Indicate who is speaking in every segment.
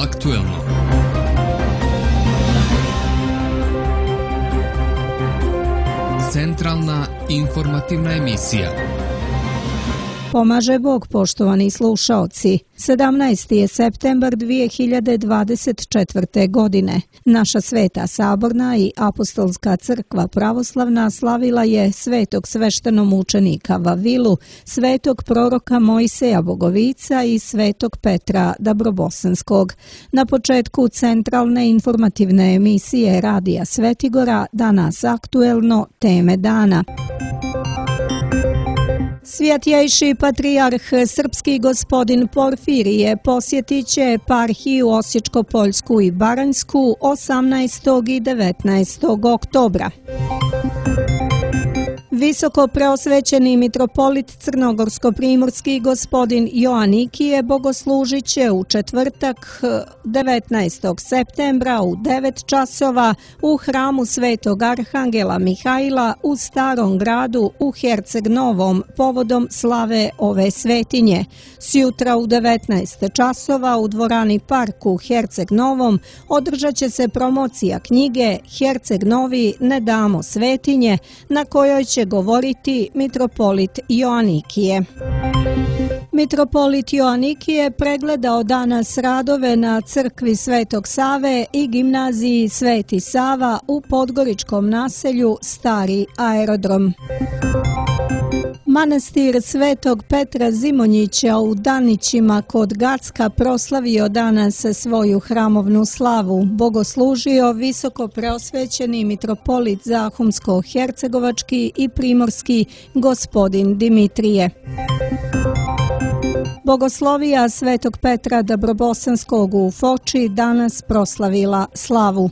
Speaker 1: aktuelno. Centralna informativna emisija.
Speaker 2: Pomaže Bog, poštovani slušaoci. 17. je septembar 2024. godine. Naša Sveta Saborna i Apostolska crkva pravoslavna slavila je svetog sveštenomučenika Vavilu, svetog proroka Mojseja Bogovica i svetog Petra Dabrobosanskog. Na početku centralne informativne emisije Radija Svetigora danas aktuelno teme dana. Svjetjejši patrijarh srpski gospodin Porfirije posjetit će eparhiju Osječko-Poljsku i Baranjsku 18. i 19. oktobra. Visoko preosvećeni mitropolit crnogorsko-primorski gospodin Joanikije bogoslužit će u četvrtak 19. septembra u 9 časova u hramu Svetog Arhangela Mihajla u Starom gradu u Herceg Novom povodom slave ove svetinje. Sjutra u 19 časova u dvorani Park u Herceg Novom održat će se promocija knjige Herceg Novi ne damo svetinje, na kojoj će govoriti mitropolit Joanikije. Mitropolit Joanikije pregledao danas radove na crkvi Svetog Save i gimnaziji Sveti Sava u podgoričkom naselju Stari aerodrom. Manastir Svetog Petra Zimonjića u Danićima kod Gacka proslavio danas svoju hramovnu slavu. Bogoslužio visoko preosvećeni mitropolit Zahumsko-hercegovački i primorski gospodin Dimitrije. Bogoslovija Svetog Petra Dabrobosanskog u Foči danas proslavila slavu.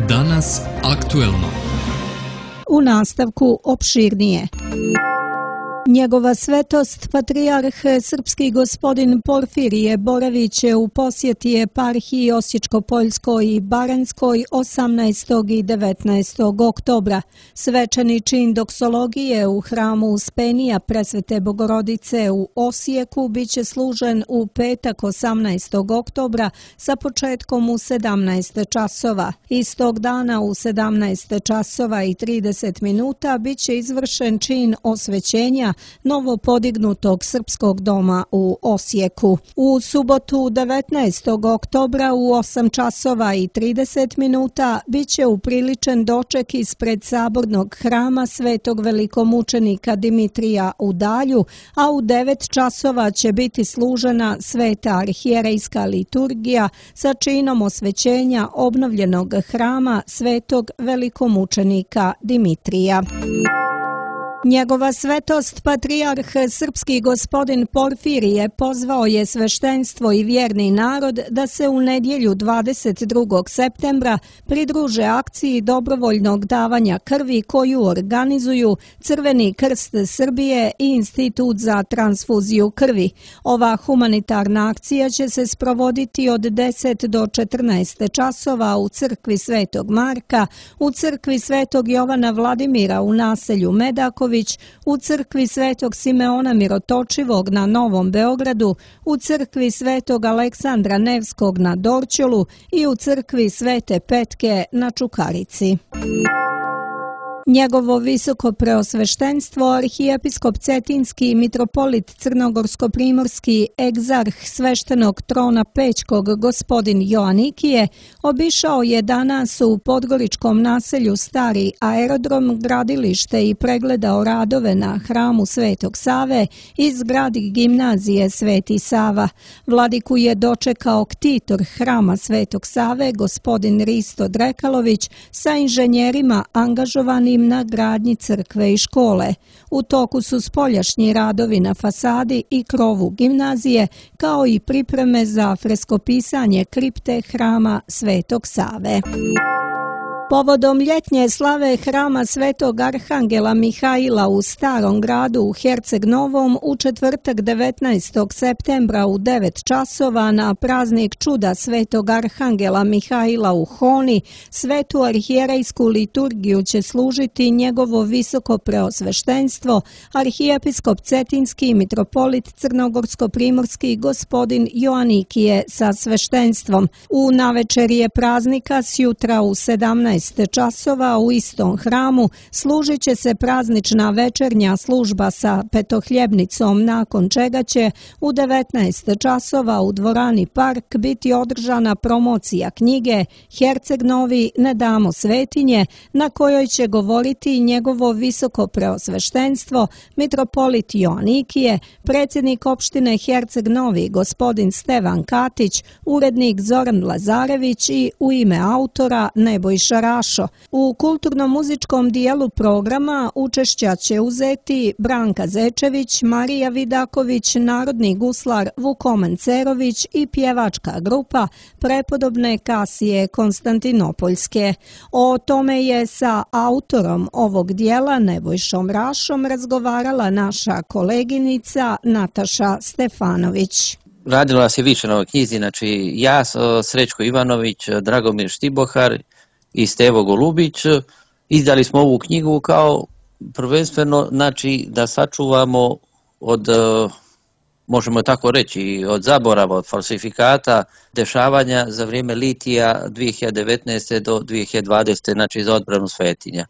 Speaker 1: Danas aktuelno.
Speaker 2: U nastavku opširnije. Njegova svetost, patrijarh srpski gospodin Porfirije boravit će u posjeti eparhiji Osječko-Poljskoj i Baranjskoj 18. i 19. oktobra. Svečani čin doksologije u hramu Uspenija Presvete Bogorodice u Osijeku biće služen u petak 18. oktobra sa početkom u 17 časova. Istog dana u 17 časova i 30 minuta biće izvršen čin osvećenja novo podignutog srpskog doma u Osijeku. U subotu 19. oktobra u 8 časova i 30 minuta biće upriličen doček ispred sabornog hrama Svetog velikomučenika Dimitrija u Dalju, a u 9 časova će biti služena sveta arhijerejska liturgija sa činom osvećenja obnovljenog hrama Svetog velikomučenika Dimitrija. Njegova svetost, patrijarh srpski gospodin Porfirije pozvao je sveštenstvo i vjerni narod da se u nedjelju 22. septembra pridruže akciji dobrovoljnog davanja krvi koju organizuju Crveni krst Srbije i Institut za transfuziju krvi. Ova humanitarna akcija će se sprovoditi od 10 do 14 časova u crkvi Svetog Marka, u crkvi Svetog Jovana Vladimira u naselju Medaković, u crkvi Svetog Simeona Mirotočivog na Novom Beogradu, u crkvi Svetog Aleksandra Nevskog na Dorćolu i u crkvi Svete Petke na Čukarici. Njegovo visoko preosveštenstvo, arhijepiskop Cetinski, mitropolit Crnogorsko-primorski, egzarh sveštenog trona Pećkog gospodin Joanikije, obišao je danas u podgoričkom naselju Stari aerodrom, gradilište i pregledao radove na hramu Svetog Save i zgradi gimnazije Sveti Sava. Vladiku je dočekao ktitor hrama Svetog Save, gospodin Risto Drekalović, sa inženjerima angažovanim na gradnji crkve i škole. U toku su spoljašnji radovi na fasadi i krovu gimnazije, kao i pripreme za freskopisanje kripte hrama Svetog Save. Povodom ljetnje slave hrama Svetog Arhangela Mihaila u Starom gradu u Herceg Novom u četvrtak 19. septembra u 9 časova na praznik čuda Svetog Arhangela Mihaila u Honi, svetu arhijerejsku liturgiju će služiti njegovo visoko preosveštenstvo, arhijepiskop Cetinski mitropolit Crnogorsko-primorski gospodin Joanikije sa sveštenstvom. U navečerje praznika sjutra u 17 časova u istom hramu služit će se praznična večernja služba sa petohljebnicom, nakon čega će u 19 časova u dvorani Park biti održana promocija knjige Herceg Novi ne damo svetinje, na kojoj će govoriti njegovo visoko preosveštenstvo, mitropolit Joanikije, predsjednik opštine Herceg Novi gospodin Stevan Katić, urednik Zoran Lazarević i u ime autora Nebojša Rašo. U kulturno-muzičkom dijelu programa učešća će uzeti Branka Zečević, Marija Vidaković, narodni guslar Vukoman Cerović i pjevačka grupa prepodobne Kasije Konstantinopoljske. O tome je sa autorom ovog dijela Nebojšom Rašom razgovarala naša koleginica Nataša Stefanović.
Speaker 3: Radilo se više na ovoj knjizi, znači ja, Srećko Ivanović, Dragomir Štibohar i Stevo Golubić. Izdali smo ovu knjigu kao prvenstveno, znači, da sačuvamo od, možemo tako reći, od zaborava, od falsifikata, dešavanja za vrijeme litija 2019. do 2020. znači za odbranu svetinja.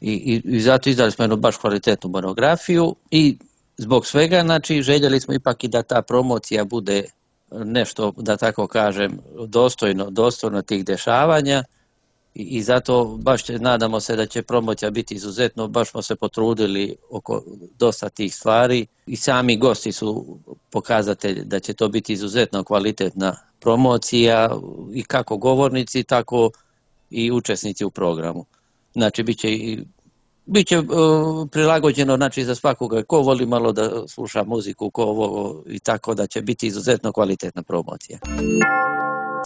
Speaker 3: I zato izdali smo jednu baš kvalitetnu monografiju i zbog svega, znači, željeli smo ipak i da ta promocija bude nešto, da tako kažem, dostojno tih dešavanja i zato baš nadamo se da će promocija biti izuzetno, baš smo se potrudili oko dosta tih stvari i sami gosti su pokazatelj da će to biti izuzetno kvalitetna promocija i kako govornici, tako i učesnici u programu. Znači, Biće prilagođeno, znači, za svakoga ko voli malo da sluša muziku, ko ovo, i tako da će biti izuzetno kvalitetna promocija.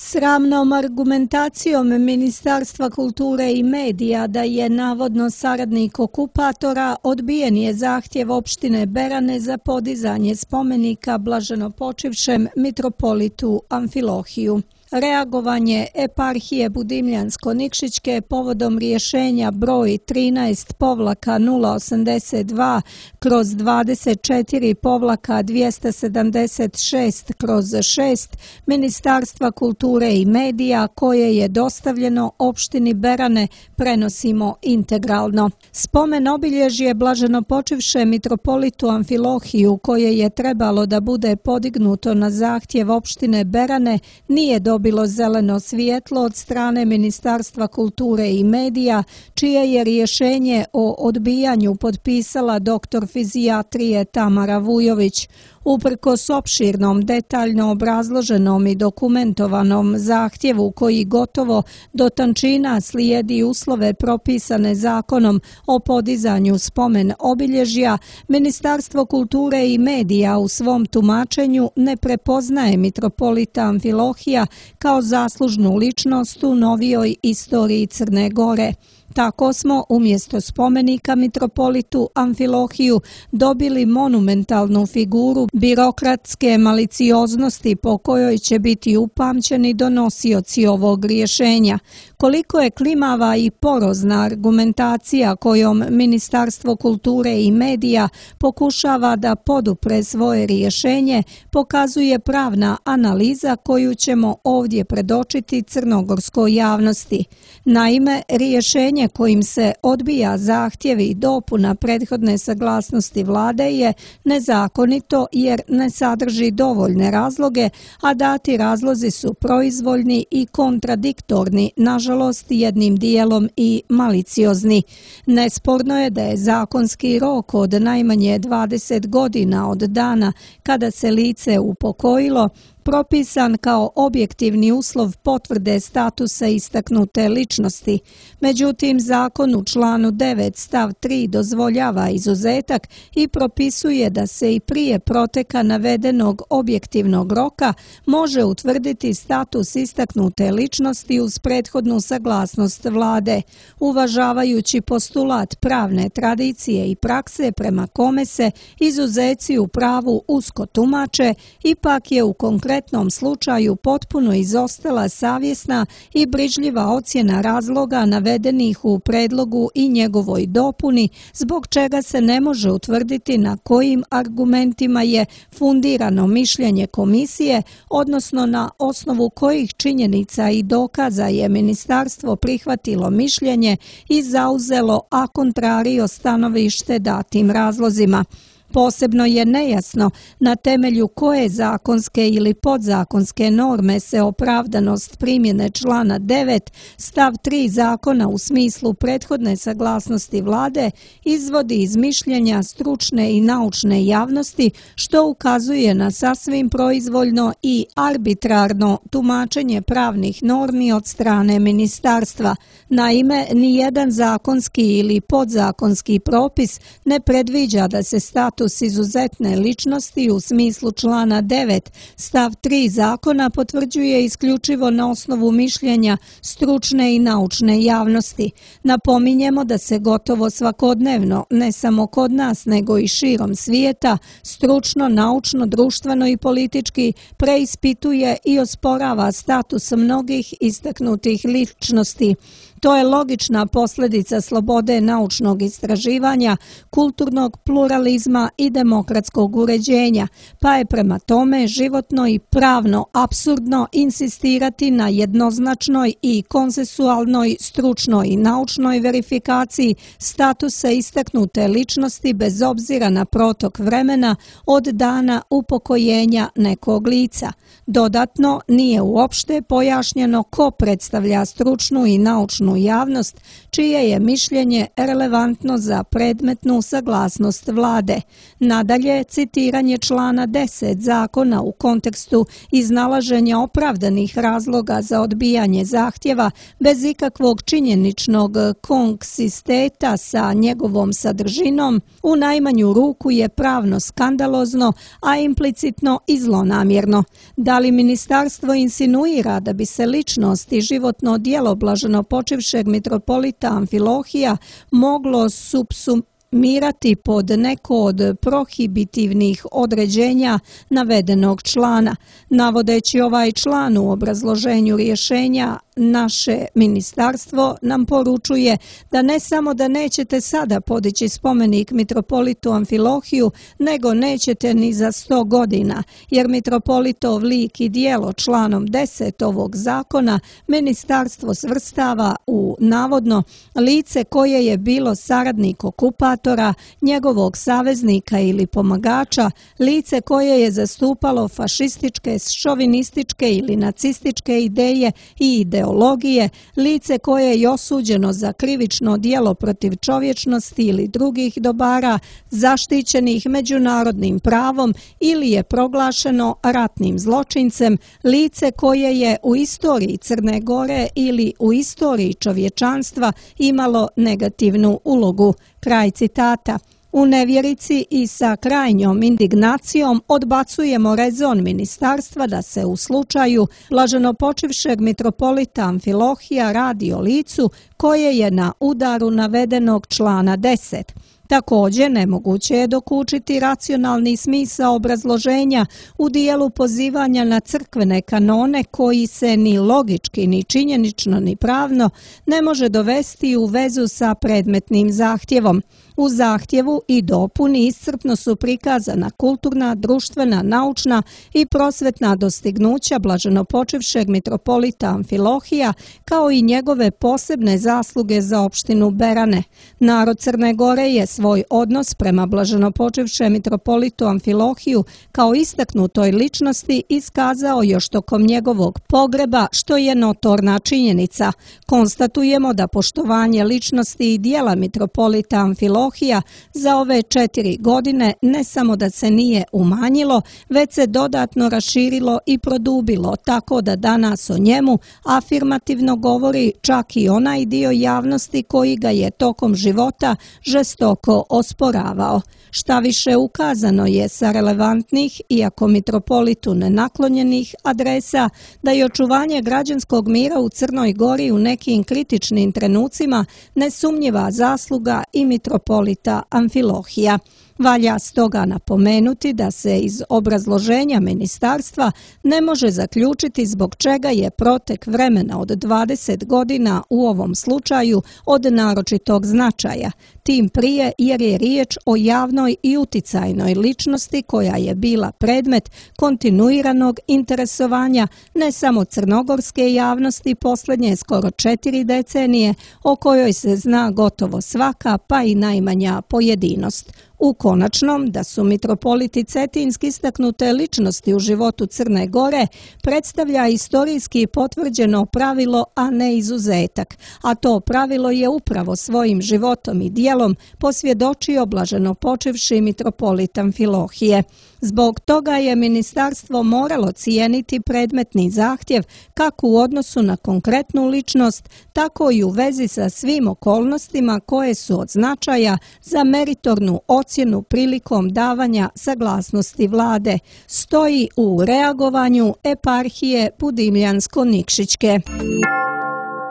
Speaker 2: Sramnom argumentacijom Ministarstva kulture i medija da je navodno saradnik okupatora odbijen je zahtjev opštine Berane za podizanje spomenika blaženopočivšem mitropolitu Amfilohiju. Reagovanje eparhije Budimljansko-Nikšićke povodom rješenja broj 13-082/24-276/6 Ministarstva kulture i medija koje je dostavljeno opštini Berane prenosimo integralno. Spomen obilježje blaženopočivše mitropolitu Amfilohiju koje je trebalo da bude podignuto na zahtjev opštine Berane nije dobilo zeleno svjetlo od strane Ministarstva kulture i medija, čije je rješenje o odbijanju potpisala doktor fizijatrije Tamara Vujović. Uprkos opširnom, detaljno obrazloženom i dokumentovanom zahtjevu koji gotovo do tančina slijedi uslove propisane zakonom o podizanju spomen obilježja, Ministarstvo kulture i medija u svom tumačenju ne prepoznaje mitropolita Amfilohija kao zaslužnu ličnost u novijoj istoriji Crne Gore. Tako smo umjesto spomenika mitropolitu Amfilohiju dobili monumentalnu figuru birokratske malicioznosti po kojoj će biti upamćeni donosioci ovog rješenja. Koliko je klimava i porozna argumentacija kojom Ministarstvo kulture i medija pokušava da podupre svoje rješenje, pokazuje pravna analiza koju ćemo ovdje predočiti crnogorskoj javnosti. Naime, rješenje kojim se odbija zahtjev i dopuna prethodne saglasnosti vlade je nezakonito jer ne sadrži dovoljne razloge, a dati razlozi su proizvoljni i kontradiktorni, nažalost jednim dijelom i maliciozni. Nesporno je da je zakonski rok od najmanje 20 godina od dana kada se lice upokojilo propisan kao objektivni uslov potvrde statusa istaknute ličnosti. Međutim, zakon u članu 9 stav 3 dozvoljava izuzetak i propisuje da se i prije proteka navedenog objektivnog roka može utvrditi status istaknute ličnosti uz prethodnu saglasnost vlade, uvažavajući postulat pravne tradicije i prakse prema kome se izuzeci u pravu usko tumače, ipak je u konkretnom slučaju potpuno izostala savjesna i brižljiva ocjena razloga navedenih u predlogu i njegovoj dopuni, zbog čega se ne može utvrditi na kojim argumentima je fundirano mišljenje komisije, odnosno na osnovu kojih činjenica i dokaza je ministarstvo prihvatilo mišljenje i zauzelo a contrario stanovište datim razlozima. Posebno je nejasno na temelju koje zakonske ili podzakonske norme se opravdanost primjene člana 9 stav 3 zakona u smislu prethodne saglasnosti vlade izvodi iz mišljenja stručne i naučne javnosti, što ukazuje na sasvim proizvoljno i arbitrarno tumačenje pravnih normi od strane ministarstva. Naime, nijedan zakonski ili podzakonski propis ne predviđa da se status izuzetne ličnosti u smislu člana 9 stav 3 zakona potvrđuje isključivo na osnovu mišljenja stručne i naučne javnosti. Napominjemo da se gotovo svakodnevno, ne samo kod nas nego i širom svijeta, stručno, naučno, društveno i politički preispituje i osporava status mnogih istaknutih ličnosti. To je logična posljedica slobode naučnog istraživanja, kulturnog pluralizma i demokratskog uređenja, pa je prema tome životno i pravno apsurdno insistirati na jednoznačnoj i konsensualnoj stručnoj i naučnoj verifikaciji statusa istaknute ličnosti bez obzira na protok vremena od dana upokojenja nekog lica. Dodatno, nije uopšte pojašnjeno ko predstavlja stručnu i naučnu javnost, čije je mišljenje relevantno za predmetnu saglasnost vlade. Nadalje, citiranje člana 10 zakona u kontekstu iznalaženja opravdanih razloga za odbijanje zahtjeva bez ikakvog činjeničnog konksisteta sa njegovom sadržinom u najmanju ruku je pravno skandalozno, a implicitno i zlonamjerno. Da li ministarstvo insinuira da bi se ličnost i životno djelo blaženopočivšeg mitropolita Amfilohija moglo subsumirati pod neko od prohibitivnih određenja navedenog člana? Navodeći ovaj član u obrazloženju rješenja, naše ministarstvo nam poručuje da ne samo da nećete sada podići spomenik mitropolitu Amfilohiju, nego nećete ni za 100 godina, jer mitropolitov lik i djelo članom 10 ovog zakona ministarstvo svrstava u navodno lice koje je bilo saradnik okupatora, njegovog saveznika ili pomagača, lice koje je zastupalo fašističke, šovinističke ili nacističke ideje i ideologije, lice koje je osuđeno za krivično djelo protiv čovječnosti ili drugih dobara zaštićenih međunarodnim pravom ili je proglašeno ratnim zločincem, lice koje je u istoriji Crne Gore ili u istoriji čovječanstva imalo negativnu ulogu. Kraj citata. U nevjerici i sa krajnjom indignacijom odbacujemo rezon ministarstva da se u slučaju blaženopočivšeg mitropolita Amfilohija radi o licu koje je na udaru navedenog člana 10. Također, nemoguće je dokučiti racionalni smisao obrazloženja u dijelu pozivanja na crkvene kanone koji se ni logički, ni činjenično, ni pravno ne može dovesti u vezu sa predmetnim zahtjevom. U zahtjevu i dopuni iscrpno su prikazana kulturna, društvena, naučna i prosvetna dostignuća blaženopočivšeg mitropolita Amfilohija, kao i njegove posebne zasluge za opštinu Berane. Narod Crne Gore je svoj odnos prema blaženopočivšem mitropolitu Amfilohiju kao istaknutoj ličnosti iskazao još tokom njegovog pogreba, što je notorna činjenica. Konstatujemo da poštovanje ličnosti i dijela mitropolita Amfilohija za ove 4 godine ne samo da se nije umanjilo, već se dodatno raširilo i produbilo, tako da danas o njemu afirmativno govori čak i onaj dio javnosti koji ga je tokom života žestoko osporavao. Šta više, ukazano je sa relevantnih, iako mitropolitu nenaklonjenih adresa, da je očuvanje građanskog mira u Crnoj Gori u nekim kritičnim trenucima nesumnjiva zasluga i mitropolita Amfilohija. Valja stoga napomenuti da se iz obrazloženja ministarstva ne može zaključiti zbog čega je protek vremena od 20 godina u ovom slučaju od naročitog značaja, tim prije jer je riječ o javnoj i uticajnoj ličnosti koja je bila predmet kontinuiranog interesovanja ne samo crnogorske javnosti posljednje skoro 4 decenije, o kojoj se zna gotovo svaka pa i najmanja pojedinost. U konačnom, da su mitropoliti cetinski istaknute ličnosti u životu Crne Gore predstavlja istorijski potvrđeno pravilo, a ne izuzetak, a to pravilo je upravo svojim životom i dijelom posvjedočio blaženopočivši mitropolit Amfilohije. Zbog toga je ministarstvo moralo cijeniti predmetni zahtjev kako u odnosu na konkretnu ličnost, tako i u vezi sa svim okolnostima koje su od značaja za meritornu ocjenu prilikom davanja saglasnosti vlade, stoji u reagovanju eparhije Budimljansko-Nikšićke.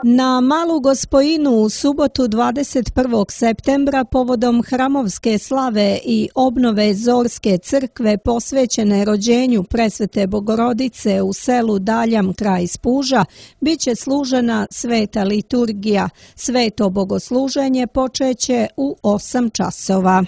Speaker 2: Na Malu Gospojinu u subotu 21. septembra povodom hramovske slave i obnove Zorske crkve posvećene rođenju Presvete Bogorodice u selu Daljam kraj Spuža bit će služena sveta liturgija. Sveto bogosluženje počeće u 8 časova.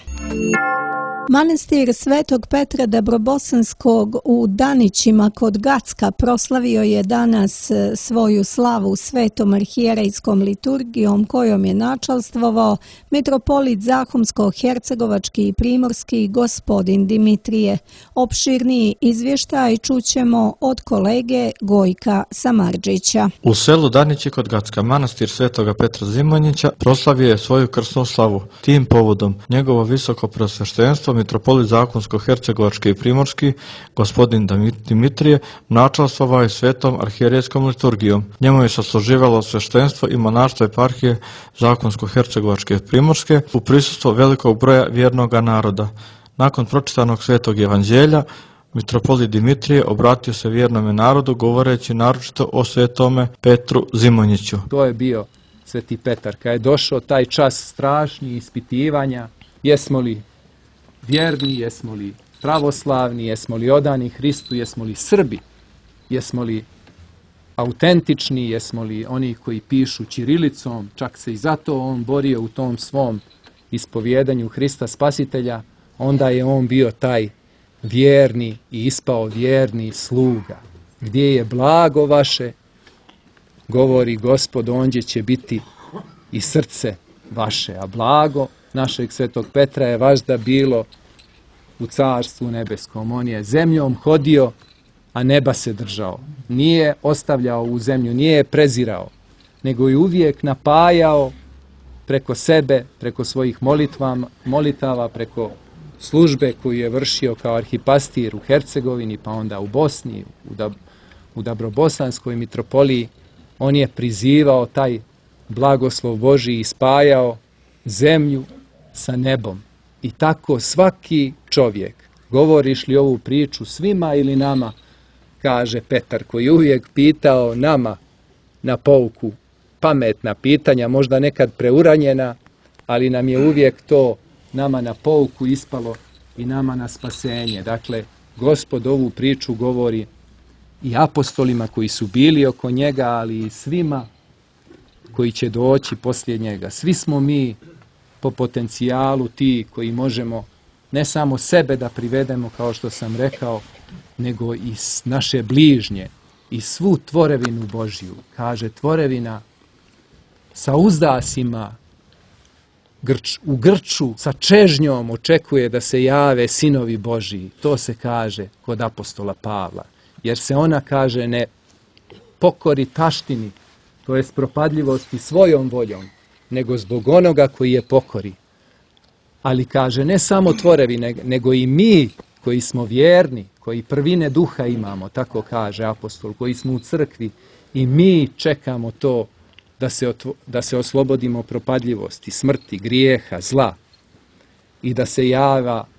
Speaker 2: Manastir Svetog Petra Dabrobosanskog u Danićima kod Gacka proslavio je danas svoju slavu svetom arhijerejskom liturgijom kojom je načalstvovao mitropolit Zahumsko-hercegovački i primorski gospodin Dimitrije. Opširniji izvještaj čućemo od kolege Gojka Samardžića.
Speaker 4: U selu Danići kod Gacka manastir Svetoga Petra Zimonjića proslavio je svoju krsnu slavu. Tim povodom njegovo visoko preosveštenstvo mitropolit Zahumsko-hercegovački i primorski gospodin Dimitrije načalstvovao je svetom arhijerejskom liturgijom. Njemu je sasluživalo sveštenstvo i monaštvo eparhije Zahumsko-hercegovačke i primorske u prisustvu velikog broja vjernoga naroda. Nakon pročitanog svetog evanđelja, mitropolit Dimitrije obratio se vjernome narodu govoreći naročito o svetome Petru Zimonjiću.
Speaker 5: To je bio sveti Petar. Kad je došao taj čas strašnih ispitivanja, jesmo li vjerni, jesmo li pravoslavni, jesmo li odani Hristu, jesmo li Srbi, jesmo li autentični, jesmo li oni koji pišu ćirilicom, čak se i zato on borio u tom svom ispovjedanju Hrista Spasitelja, onda je on bio taj vjerni i ispao vjerni sluga. Gdje je blago vaše, govori Gospod, ondje će biti i srce vaše, a blago našeg svetog Petra je važda bilo u carstvu nebeskom. On je zemljom hodio, a neba se držao. Nije ostavljao u zemlju, nije je prezirao, nego je uvijek napajao preko sebe, preko svojih molitava, preko službe koju je vršio kao arhipastir u Hercegovini, pa onda u Bosni, u Dabrobosanskoj mitropoliji. On je prizivao taj blagoslov Božji i spajao zemlju sa nebom. I tako svaki čovjek, govoriš li ovu priču svima ili nama, kaže Petar, koji je uvijek pitao nama na pouku pametna pitanja, možda nekad preuranjena, ali nam je uvijek to nama na pouku ispalo i nama na spasenje. Dakle, Gospod ovu priču govori i apostolima koji su bili oko njega, ali i svima koji će doći poslije njega. Svi smo mi po potencijalu ti koji možemo ne samo sebe da privedemo, kao što sam rekao, nego i naše bližnje i svu tvorevinu Božju. Kaže, tvorevina sa uzdasima u grču sa čežnjom očekuje da se jave sinovi Božiji. To se kaže kod apostola Pavla. Jer se ona, kaže, ne pokori taštini, to jest propadljivosti svojom voljom, nego zbog onoga koji je pokori. Ali, kaže, ne samo tvorevi, nego i mi koji smo vjerni, koji prvine duha imamo, tako kaže apostol, koji smo u crkvi, i mi čekamo to da se oslobodimo propadljivosti, smrti, grijeha, zla i da se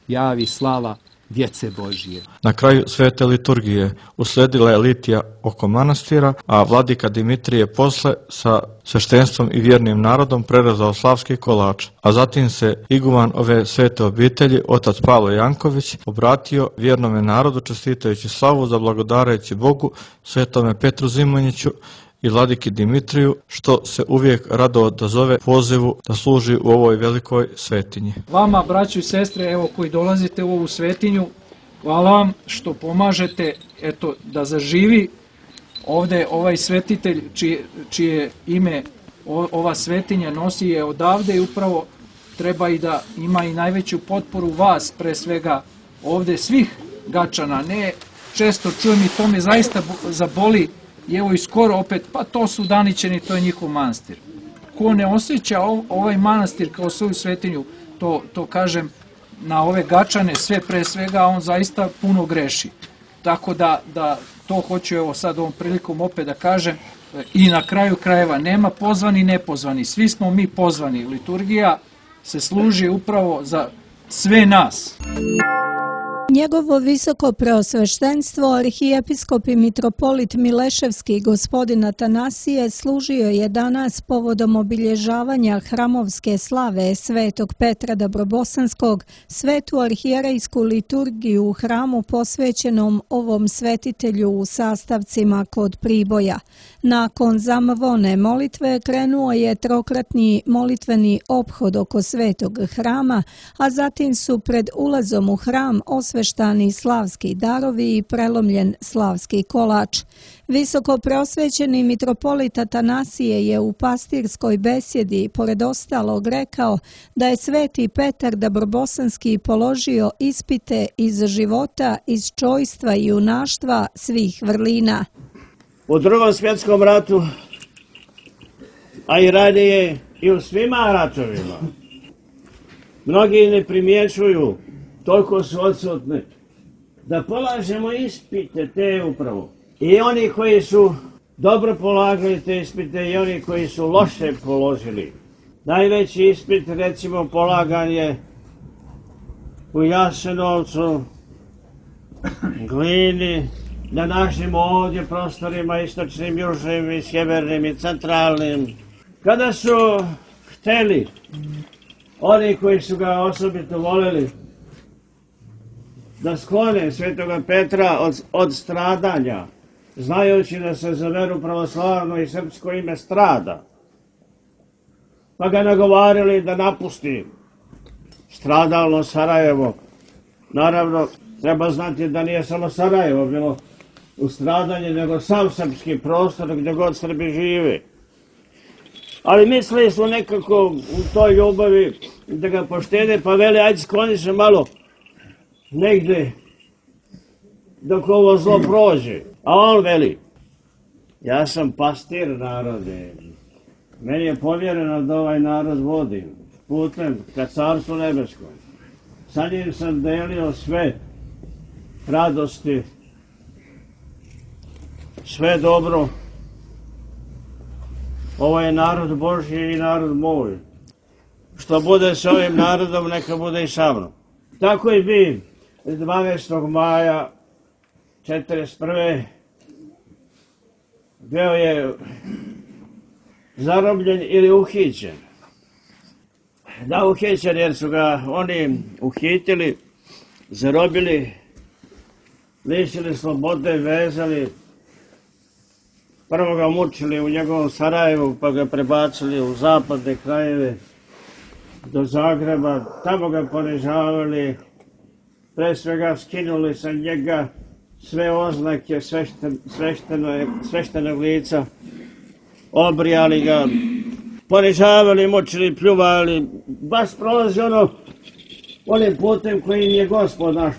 Speaker 5: javi slava djece Božije.
Speaker 4: Na kraju svete liturgije usledila je litija oko manastira, a vladika Dimitrije posle sa sveštenstvom i vjernim narodom prerezao slavski kolač, a zatim se iguman ove svete obitelji, otac Pavle Janković, obratio vjernome narodu čestitajući slavu, zablagodareći Bogu, svetome Petru Zimonjiću i vladiki Dimitriju, što se uvijek rado odazove pozivu da služi u ovoj velikoj svetinji.
Speaker 6: Vama, braćo i sestre, evo koji dolazite u ovu svetinju, hvala vam što pomažete, eto, da zaživi ovdje ovaj svetitelj čije ime ova svetinja nosi je odavde i upravo treba i da ima i najveću potporu vas, pre svega ovdje svih Gačana. Ne često čujem i to me zaista zaboli. I evo i skoro opet, pa to su Danićani, to je njihov manastir. Ko ne osjeća ovaj manastir kao svoju svetinju, to kažem na ove Gačane, sve pre svega, on zaista puno greši. Tako da to hoću evo sad ovom prilikom opet da kažem. I na kraju krajeva, nema pozvani i nepozvani, svi smo mi pozvani. Liturgija se služi upravo za sve nas.
Speaker 2: Njegovo visoko preosveštenstvo, arhijepiskop i mitropolit Mileševski gospodin Atanasije, služio je danas povodom obilježavanja hramovske slave svetog Petra Dabrobosanskog, svetu arhijerejsku liturgiju u hramu posvećenom ovom svetitelju u sastavcima kod Priboja. Nakon zamvone molitve krenuo je trokratni molitveni ophod oko svetog hrama, a zatim su pred ulazom u hram osveštani slavski darovi i prelomljen slavski kolač. Visoko preosvećeni mitropolit Atanasije je u pastirskoj besjedi pored ostalog rekao da je sveti Petar Dabrobosanski položio ispite iz života, iz čojstva i junaštva svih vrlina.
Speaker 7: U Drugom svjetskom ratu, a i ranije i u svima ratovima, mnogi ne primjećuju, toliko su odsutni, da polažemo ispite te upravo. I oni koji su dobro polagali te ispite i oni koji su loše položili. Najveći ispit, recimo, polagan je u Jasenovcu, Glini, na našim ovdje prostorima, istočnim, južnim i sjevernim i centralnim. Kada su hteli, oni koji su ga osobito voleli, da sklone svetoga Petra od stradanja, znajući da se za veru pravoslavno i srpsko ime strada, pa ga nagovarili da napusti stradalno Sarajevo. Naravno, treba znati da nije samo Sarajevo bilo u stradanju, nego sam srpski prostor gdje god Srbi žive. Ali mislili su nekako u toj ljubavi da ga poštede, pa veli, ajde skloni se malo negdje dok ovo zlo prođe. A on veli, ja sam pastir narode, meni je povjereno da ovaj narod vodim putem ka carstvu nebeskom. Sa njim sam delio sve radosti, sve dobro. Ovo je narod Božji i narod moj. Što bude s ovim narodom, neka bude i sa mnom. Tako i bi 12. maja 1941. bio je zarobljen ili uhićen. Da, uhićen jer su ga oni uhitili, zarobili, lišili slobode, vezali. Prvo ga mučili u njegovom Sarajevu, pa ga prebacili u zapadne krajeve do Zagreba. Tamo ga ponižavali, pre svega skinuli sa njega sve oznake sveštenog lica, obrijali ga, ponižavali, mučili, pljuvali, baš prolazi onim putem kojim je Gospod naš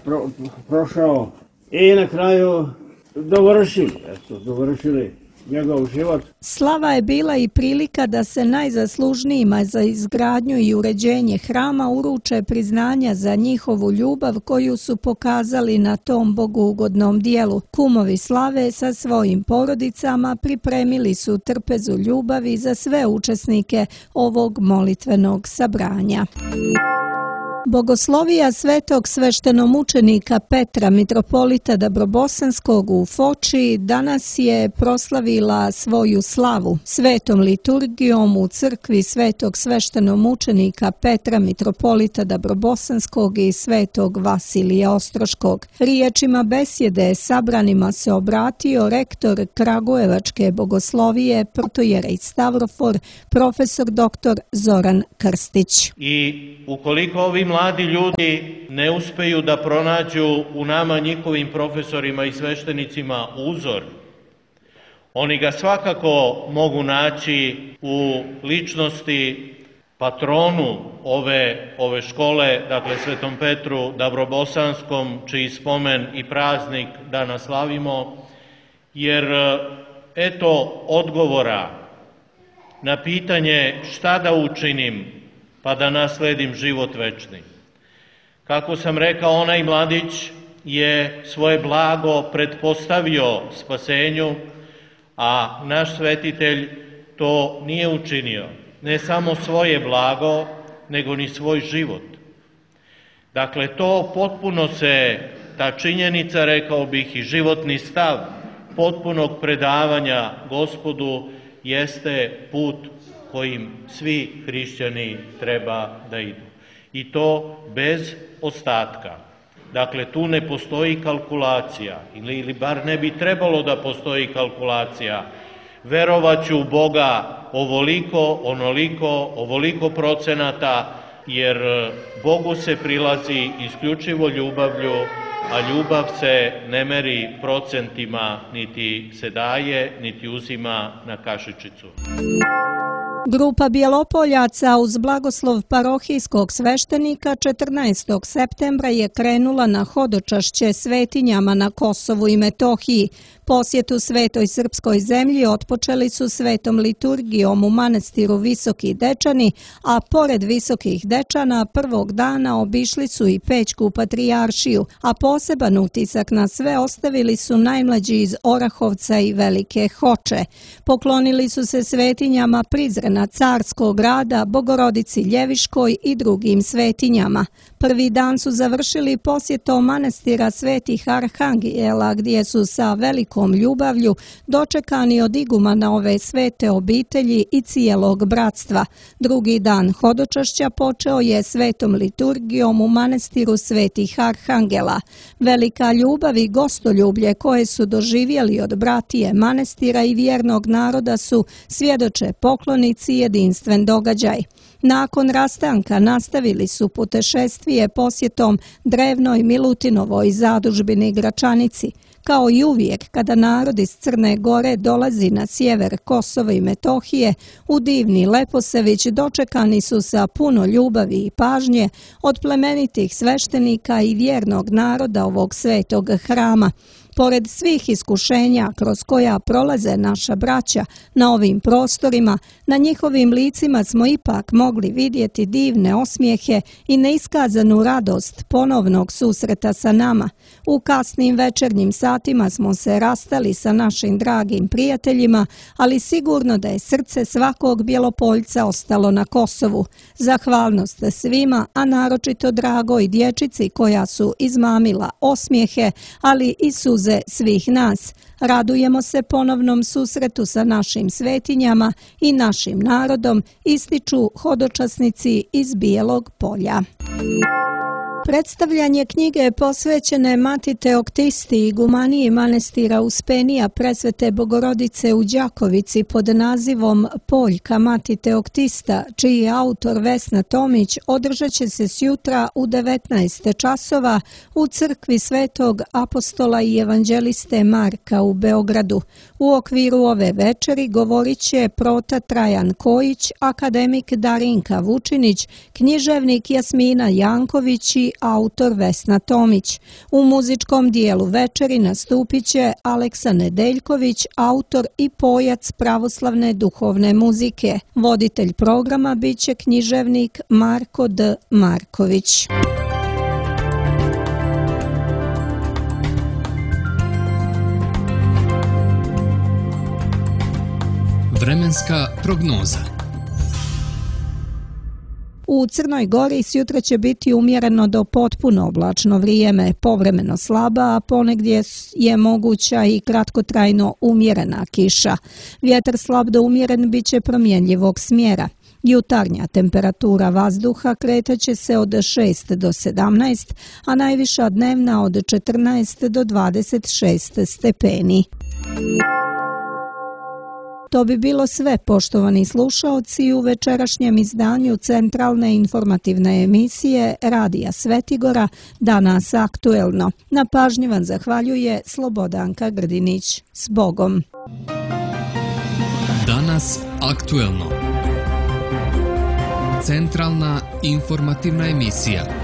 Speaker 7: prošao i na kraju dovršili njegov život.
Speaker 2: Slava je bila i prilika da se najzaslužnijima za izgradnju i uređenje hrama uruče priznanja za njihovu ljubav koju su pokazali na tom bogougodnom dijelu. Kumovi Slave sa svojim porodicama pripremili su trpezu ljubavi za sve učesnike ovog molitvenog sabranja. Bogoslovija svetog sveštenomučenika Petra, mitropolita Dabrobosanskog u Foči, danas je proslavila svoju slavu. Svetom liturgijom u crkvi svetog sveštenomučenika Petra, mitropolita Dabrobosanskog i svetog Vasilija Ostroškog. Riječima besjede sabranima se obratio rektor Kragujevačke bogoslovije, protojerej Stavrofor, profesor dr. Zoran Krstić.
Speaker 8: I ukoliko ovi mladi ljudi ne uspeju da pronađu u nama, njihovim profesorima i sveštenicima, uzor, oni ga svakako mogu naći u ličnosti patronu ove škole, dakle Svetom Petru Dabrobosanskom, čiji spomen i praznik danas slavimo, jer eto odgovora na pitanje šta da učinim pa da nasledim život večni. Kako sam rekao, onaj mladić je svoje blago pretpostavio spasenju, a naš svetitelj to nije učinio. Ne samo svoje blago, nego ni svoj život. Dakle, to potpuno se, ta činjenica, rekao bih, i životni stav potpunog predavanja Gospodu jeste put kojim svi hrišćani treba da idu. I to bez ostatka. Dakle, tu ne postoji kalkulacija, ili bar ne bi trebalo da postoji kalkulacija. Verovaću u Boga ovoliko, onoliko, ovoliko procenata, jer Bogu se prilazi isključivo ljubavlju, a ljubav se ne meri procentima, niti se daje, niti uzima na kašičicu.
Speaker 2: Grupa Bjelopoljaca uz blagoslov parohijskog sveštenika 14. septembra je krenula na hodočašće svetinjama na Kosovu i Metohiji. Posjetu Svetoj srpskoj zemlji otpočeli su svetom liturgijom u manastiru Visoki Dečani, a pored Visokih Dečana prvog dana obišli su i Pećku patrijaršiju, a poseban utisak na sve ostavili su najmlađi iz Orahovca i Velike Hoče. Poklonili su se svetinjama Prizrena Carskog grada, Bogorodici Ljeviškoj i drugim svetinjama. Prvi dan su završili posjetom manastira Svetih Arhangela, gdje su sa velikom ljubavlju dočekani od igumana ove svete obitelji i cijelog bratstva. Drugi dan hodočašća počeo je svetom liturgijom u manastiru Svetih Arhangela. Velika ljubav i gostoljublje koje su doživjeli od bratije manastira i vjernog naroda su, svjedoče poklonici, jedinstven događaj. Nakon rastanka nastavili su putešestvije posjetom drevnoj Milutinovoj zadužbini Gračanici. Kao i uvijek, kada narod iz Crne Gore dolazi na sjever Kosova i Metohije, u divni Leposević dočekani su sa puno ljubavi i pažnje od plemenitih sveštenika i vjernog naroda ovog svetog hrama. Pored svih iskušenja kroz koja prolaze naša braća na ovim prostorima, na njihovim licima smo ipak mogli vidjeti divne osmijehe i neiskazanu radost ponovnog susreta sa nama. U kasnim večernjim satima smo se rastali sa našim dragim prijateljima, ali sigurno da je srce svakog Bjelopoljca ostalo na Kosovu. Zahvalnost svima, a naročito dragoj dječici koja su izmamila osmijehe, ali i suze svih nas. Radujemo se ponovnom susretu sa našim svetinjama i našim narodom, ističu hodočasnici iz Bijelog Polja. Predstavljanje knjige posvećene Mati Teoktisti i gumaniji manastira Uspenija Presvete Bogorodice u Đakovici pod nazivom Poljka Mati Teoktista, čiji je autor Vesna Tomić, održat će se sjutra u 19 časova u crkvi Svetog apostola i evanđeliste Marka u Beogradu. U okviru ove večeri govorit će prota Trajan Kojić, akademik Darinka Vučinić, književnik Jasmina Janković i autor Vesna Tomić. U muzičkom dijelu večeri nastupit će Aleksa Nedeljković, autor i pojac pravoslavne duhovne muzike. Voditelj programa bit će književnik Marko D. Marković.
Speaker 1: Vremenska prognoza.
Speaker 2: U Crnoj Gori sjutra će biti umjereno do potpuno oblačno vrijeme, povremeno slaba, a ponegdje je moguća i kratkotrajno umjerena kiša. Vjetar slab do umjeren bit će promjenjivog smjera. Jutarnja temperatura vazduha kretaće se od 6 do 17, a najviša dnevna od 14 do 26 stepeni. To bi bilo sve, poštovani slušaoci, u večerašnjem izdanju centralne informativne emisije Radija Svetigora Danas aktuelno. Na pažnji vam zahvaljuje Slobodanka Grdinić. S Bogom!
Speaker 1: Danas aktuelno. Centralna informativna emisija.